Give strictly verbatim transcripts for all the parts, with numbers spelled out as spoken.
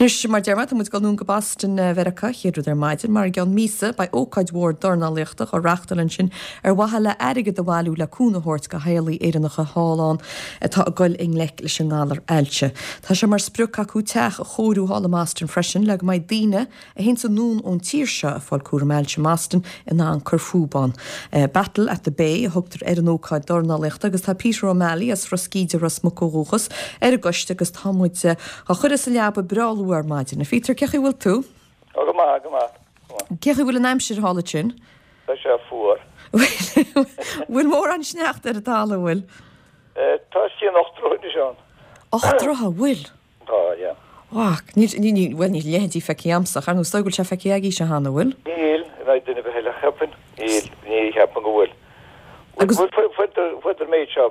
Anois, mar deir mé, tá muid ag dul anonn go Boston Mheiriceá, chéad rud ar maidin, mar i gceann míosa beidh ócáid mhór dornálaíochta á reachtáil ansin ar mhaithe le airgead a bhailiú le cúnamh a thabhairt do theaghlaigh Éireannacha thall ann atá ag dul i ngleic leis an ngalar ailse. Tá sé mar sprioc acu teach a chóiriú thall i mBoston freisin le go mbeidh daoine a théanns anonn ón tír seo ag fáil cúram ailse i mBoston in ann cur fúthu ann. Battle at the Bay a thugtar ar an ócáid dornálaíochta agus tá Peter O'Malley as Ros Gíde Ros Muc ó dhúchas ar an gcoiste agus tá muid á chur as a leaba breá luath ar maidin. A Peter, cén chaoi a bhfuil tú? Ó go maith, go maith. Cén chaoi a bhfuil an aimsir thall ansin? Tá sé fuar. Bhfuil mórán sneachta ar an talamh bhfuil? Tá sí an ocht troigh ann. Ocht dtroithe, bhfuil? Tá, yeah. Wah, ní ní bhfuil ní leithéidí feicthe a'msa, ar nó go bhfuil sé feicthe agaibhse cheana bhfuil? Níl, ná duine eile cheapaim, níl ní cheapaim go bhfuil. Agus- Fuidir méid seo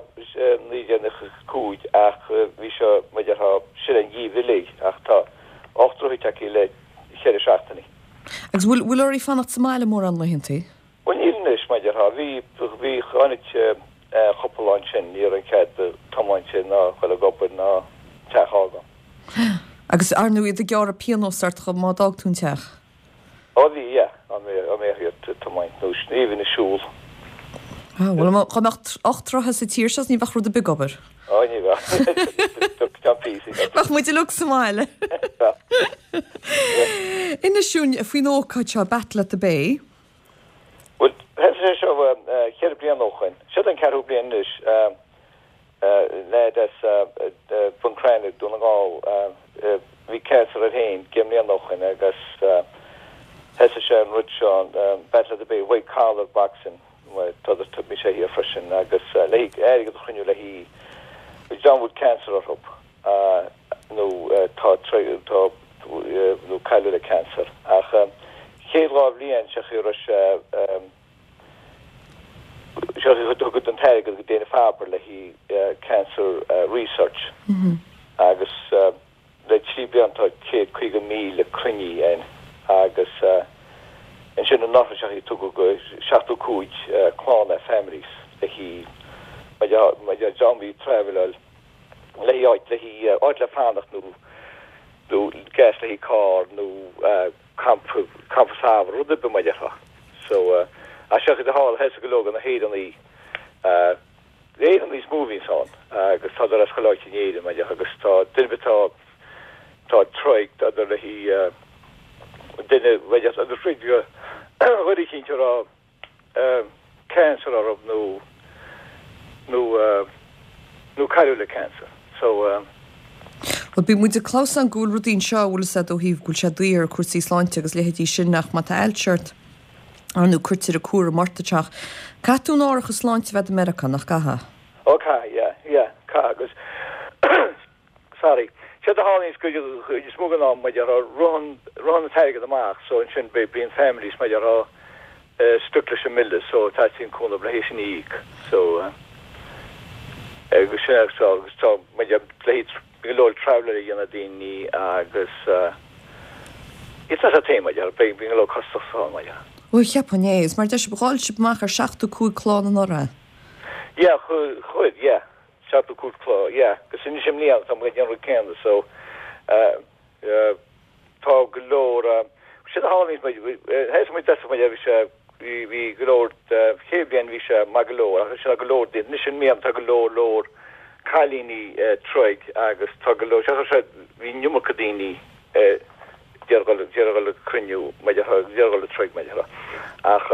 naoi déag cúig ach bhí seo maidir tá sin an gheimhreadh ach tá ocht dtroigh aici le ceithre seachtainí. Agus bhfuil bhfuil oraibh fanacht sa mbaile mórán laethantaí? Well níl anois maidir tá bhí bhí tháinig cúpla lá ansin ní raibh an cead tiomáint ná chuile gobair ná teach ága. Agus ar ndóigh iad ag gearradh pionós ort chomh má d'fhág tú an teach. Ó bhí yeah, an mé an mé tiomáint nó sníomh ina siúl. Ah, Bhuel chomh mbeadh ocht dtroithe sa tír seo ní bheadh rud ar bith ag obair. Ó ní bheadh. Bheadh muid uilig sa mbaile. Inis dúinn faoin ócáid seo Battle at the Bay. Well sé seo ceithre bliana ó shin, Siod an ceathrú bliain anois leaid as Bun Cranncha Dún na nGall bhí cancer air féin deich mbliana ó shin agus thosaigh sé an rud seo Battle at the Bay white collar boxing bhí sé thiar freisin agus le airgead a chruinniú le hí dream bhfuil cancer orthu nó tá tá nó cailleadh le cancer ach chéad dhá bhliain se chu sé se thugad an t-airgead go Dana Farber le hí cancer research agus le trí bliana tá céad caoga míle cruinnithe ann agus ansin an se tugadh go seachtó cúig clann families le hí dream bhí travel le hí áit le hí áit le fanacht nó nó gas le hí carr nó campa campa samhraidh rud ar bith mar a so a se de hall he go leor na hÉireannaigh Éireannaigh is mó bhíonns ann agus tá as choláit in Éirinn mar agus tá duine tá tá troigh le hí duine agus chuir cinnte rá cancer orthu nó nó nó cailleadh le cancer so Well bí muid cloiseann go bhfuil rudaí seo bhfuil sé ó thaobh go bhfuil sé daor cúrsaí sláinte agus leithéidí sin nach má tá ailse ort ar nó cuirtear cúram ort teach. Caithfidh tú an árachas sláinte bheith i Meiriceá nach gcaithfidh? Ó caithfidh yeah yeah caithfidh agus sorry sé a tharlaíonn go is mó ná maidir ritheann ritheann an t-airgead amach so ansin be bíonn families maidir rá stuck leis an mbille so teastaíonn cúnamh le hé sin a íoc so agus sin so agus tá maidir le go leor travel a dhéanamh daoine agus It's not a thing maidir be bíonn go leor costas ann maidir. Ó cheapaim é, is mar deir sibh dháil sibh amach ar seachtó cúig clann anuraidh. Yeah chuir yeah seachtó cúig clann yeah agus anois i mbliana tá muid ag déanamh rud céanna so tá go leor sé a tharlaíonn muid muid deasa muid bhí sé bhí bhí go leor chéad bhliain bhí sé maith go leor agus sin go leor anois i mbliana tá go leor leor cailíní troigh agus tá go leor sé sé bhí an iomarca daoine deargáil le cruinniú deargáil le troigh maidir ach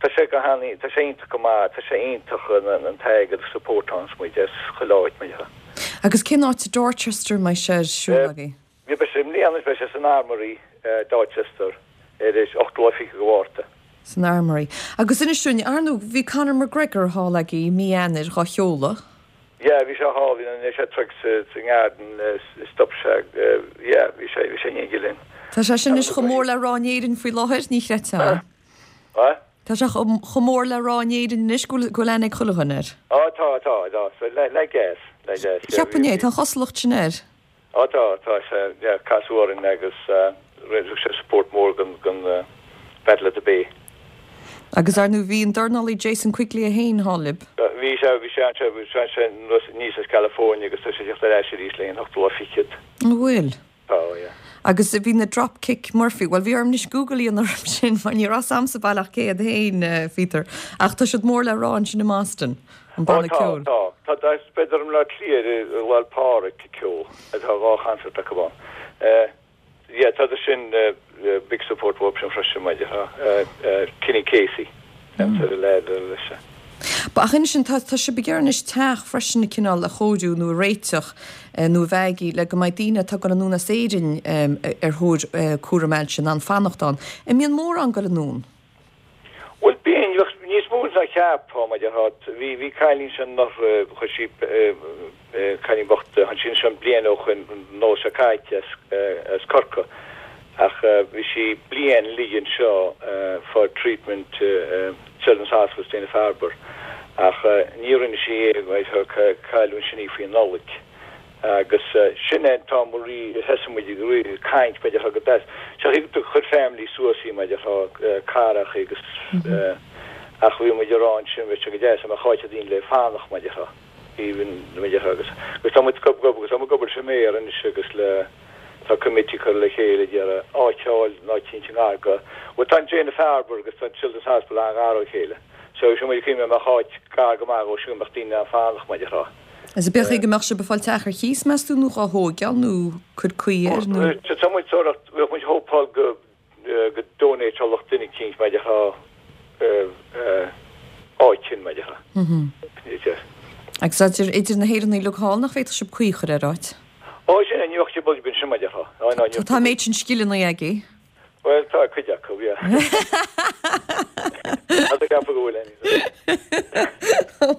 tá sé go han tá sé iontach go maith tá sé iontach an t-airgead support an muid as chuile áit maidir. Agus cén áit Dorchester mar sé siúl agaibh? Bhí be sé mbliana be sé san Armory Dorchester ar is ochtú fiche go Mhárta. San Armory. Agus inis dúinn ar ndóigh bhí Conor McGregor thall agaibh mí Eanáir dhá sheoladh. Yeah, bhí sé thall bhí sé troid sa nGarden stop sé yeah, bhí sé bhí sé in linn. Tá sé sin is chomh mór le rá in Éirinn faoi láthair ní chreidfeá. Tá sé chomh mór le rá in Éirinn anois go bhfuil aithne ag chuile dhuine air. Á tá tá tá so le le gas le gas. Cheapaim é, tá chosúlacht sin air. Á tá tá sé yeah, casadh orainn agus rinne sé support mór gan gan Battle at the Bay. Agus ar ndóigh bhí an dornálaí Jason Quigley a haon thall libh. Bhí sé bhí sé sé bhí sé sé níos as California agus tá sé teacht ar ais arís le an ochtú lá fichead. An bhfuil. Tá yeah. Agus bhí na Dropkick Murphy, well bhí orm anois Google a dhéanamh orm sin mar ní raibh a fhios a'msa baileach cé hiad féin eh, Peter. Ach tá siad mór le rá ansin i mBoston, an Ó banna tá, ceoil. tá, tá, tá b'fhéidir i mBleá Cliath i Lá 'le Pádraig ceol atá dhá concert acu ann. Eh, yeah, tá sin uh, uh, big support option freisin maidir ha. Uh, uh, Kenny Casey. Mm. leis. Ba ach sin tá tá sibh ag iarraidh anois teach freisin na cineál a chóiriú nó a réiteach eh, nó a bheidh le go mbeidh daoine atá ag dul anonn as Éirinn um, ar thóir uh, cúram ailse in ann fanacht ann. An mbíonn mórán ag dul anonn. Well bíonn níos mó ná cheapfá mar hat bhí bhí cailín sin nach chuir sí cailín bocht an sin sin bliain ó shin nó sa caite as Corcaigh ach bhí sí bliain ligean seo for treatment Children's Hospital Dana Farber ach ní rinne sí cailún sin í faoi Nollaig. agus sin é tá rí hemuid rí caint me go des. Se tú chur family suas í me carach agus ach bhí muid rá sin bheit go deas a cháite dín le fánach me even agus agus tá muid gob gob agus tá gobar sem méar an agus le tá committee chur le chéile deara áiteáil ná tí aga. Well tá Dana Farber agus tá Children's Hospital an gar ó chéile. So sin muid cime a háit gar go mar ó sin nach daoine fánach me rá. Is be go mbeadh sibh ag fáil teach ar chíos meas tú nó á thógáil nó chur cuí air nó. Tá muid sort muid hópáil go go donate lucht duine cínt me ha áit me ha. Agus idir idir na hÉireannaigh thall nach bhféadfadh sibh caoi a chur ar áit. Ó sin an jocht bul bin sin me ha. Tá méid sin scileanna aige. Well tá cuid acu yeah. Tá go bhfuil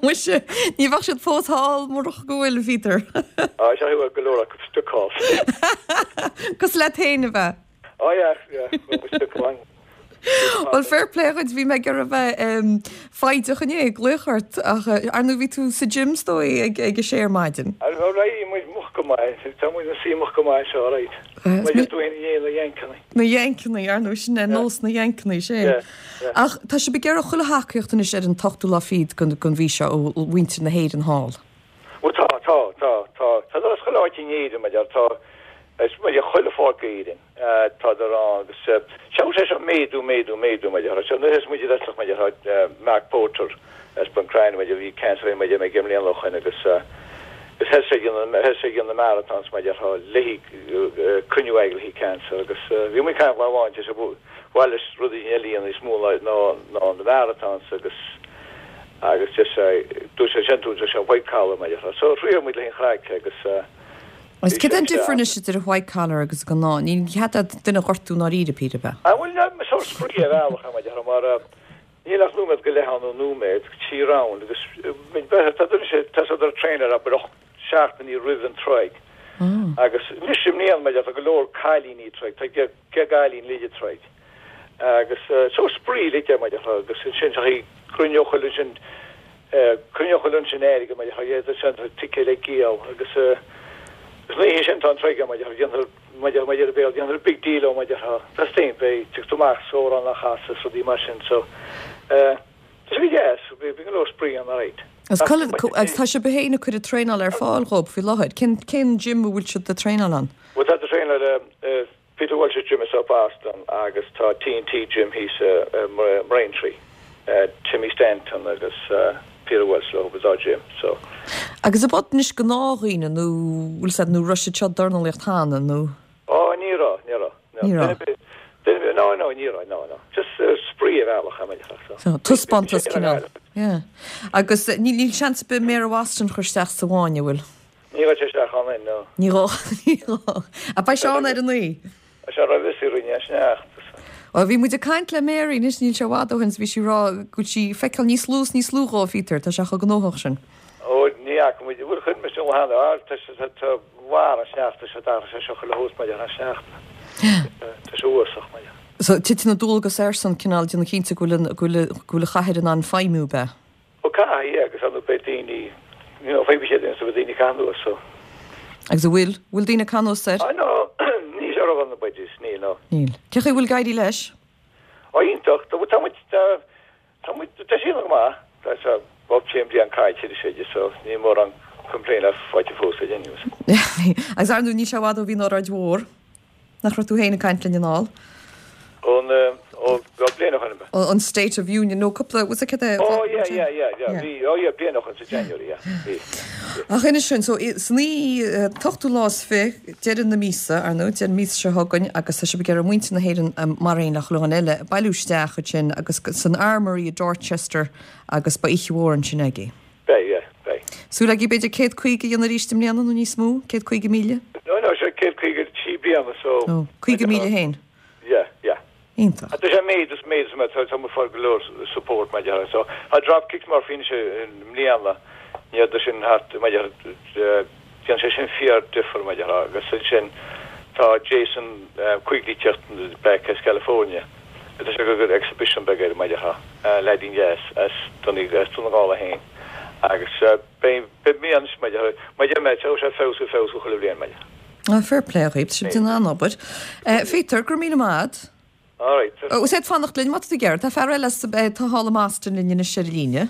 Muise ní bheadh siad fós thall murach go bhfuil Peter. Á sé go leor acu stuck. Cos le féin a bheith. Ó yeah, yeah, stuck lang. Well fair play chuid bhí mé gur a bheith faideach inné gluchart ach ar nó bhí tú sa gym stoi ag ag a sé ar maidin. Ré much go maith tá mu si much go maith seo reit. tú na Yankeeanna. Na Yankeeanna ar nó sin nós na Yankeeanna sé. Ach tá sibh ag iarraidh chuile thacaíocht anois ar an t-ochtú lá fichead gon gon mhí seo ó mhuintir na hÉireann thall. Well tá tá tá tá tá chuile áit in Éirinn mar tá is mar chuile pháirc Éirinn tá rá agus se sé sem méadú méadú méadú mar se nu is mu mar Mark Porter as Buncrane mar bhí cancer mar mé gimlíon lochan agus is he he na marathons mar le cruinniú le cancer agus bhí mu caiint leháin se bhil is rudaí eíon is mó ná ná na marathons agus agus dú sé sin tú sé white collar mar so frí mu le chraic agus Is cad an difear idir a white collar agus gnáth, ní chead duine gortú ná ríide Peter be. A bhfuil so spraoi a bhealach mar níl ach nóiméad go leith nó nóiméad trí round agus tá tá trainer a och seachtainí roimh an troid. Agus ní sim níon me go leor cailíní troid, Tá ge cailín líide troid. Agus so spraoi le mar agus sin cruinneochail sin cruinneochail sin éige mar sin ticket le géal agus ní sin tá troid mar mar mar bé déantar big deal mar Tá stéin bé tu amach só an a chas so dí mar sin so bhí yes bhí go spraoi an réit. Agus agus tá sibh féin ag cur traenáil ar fáil dhóibh faoi láthair, cén cén gym a bhfuil siad ag traenáil ann? Well tá traenáil Peter Walsh gym is up Boston agus tá TNT gym thíos uh, Braintree uh, Timmy Stanton agus uh, Peter Walsh le was our gym so Agus a bod nis gnáthdhaoine nó bhfuil siad nó raibh siad seo dornálaíocht cheana nó? Ó ní raibh ní raibh Ní raibh. No no ní raibh no no just uh, spraoi a bhealach so So taispeántas cineál. Yeah. Agus ní níl seans be Mary Waston chuisteach sa bháine bhfuil. Ní raibh sé an no Ní rá ní rá. A ba se ar an naoi. Se ra vis rinne sneachta. Ó bhí muid ag caint le Mary nis níl sé i bhfad ó shin bhí sí rá go bhfuil sí feiceáil níos lú níos lú dhó Peter tá sé cho gnóthach sin. Ó ní muid bhfuil chun me han tá war an sneachta se dar sé seo le hós mar an sneachta. Tá sé uasach mar. So titeann na dualgas air san cineál déanamh cinnte go bhfuil go bhfuil chathair in ann feidhmiú be. Ó cá agus an be daoine fé sé sa daoine canú so. Agus a bhfuil bhfuil daoine canú ser? no ní sé an na budget ní no. Níl. Cé chaoi bhfuil ag éirí leis? Ó iontach tá tá tá tá sí mar tá se Bob Champion an caiite sé so ní mór an complain a fáilte fós a Agus ar ní sé bhd ó bhí óráid mhór. Nach raibh tú féin ag caint linn anall? Ón ó bliain ó shin? An State of Union nó cúpla was it cad é? Oh yeah yeah yeah yeah bhí oh yeah bliain ó shin sa January yeah bhí. Ach inis sin so san ochtú lá is fiche deireadh na míosa ar ndóigh deireadh míosa seo chugainn agus tá sibh ag iarraidh muintir na hÉireann mar aon le chuile dhuine eile bailiú isteach ansin agus san Armory i Dorchester agus beidh oíche mhór ansin agaibh. Beidh yeah beidh. Súil agaibh b'fhéidir céad caoga a dhéanamh arís i mbliana nó níos mó, céad caoga míle? No no sé céad caoga trí bliana so. Oh, caoga míle féin? Yeah yeah. Iontach. Tá sé méid is méid is méid tá muid fáil go leor support mar deir so tá Dropkick Murphys anois i mbliana ní fhada sin thart mar deir déanann sé sin fíor difear mar deir agus ansin tá Jason Quigley teacht back as California tá sé go exhibition beag air mar deir leaidín deas as Dún as Dún na nGall féin agus beidh beidh mí anois mar deir mar deir mé tá sé feabhsú feabhsú chuile bhliain mar deir. Ah, fair play dhaoibh, tá sibh ag déanamh an-obair. Peter, go raibh míle maith agat. All right. Ó, is féidir fanacht linn, má tá tú ag iarraidh, tá fear eile tá thall i mBoston linn anois ar líne.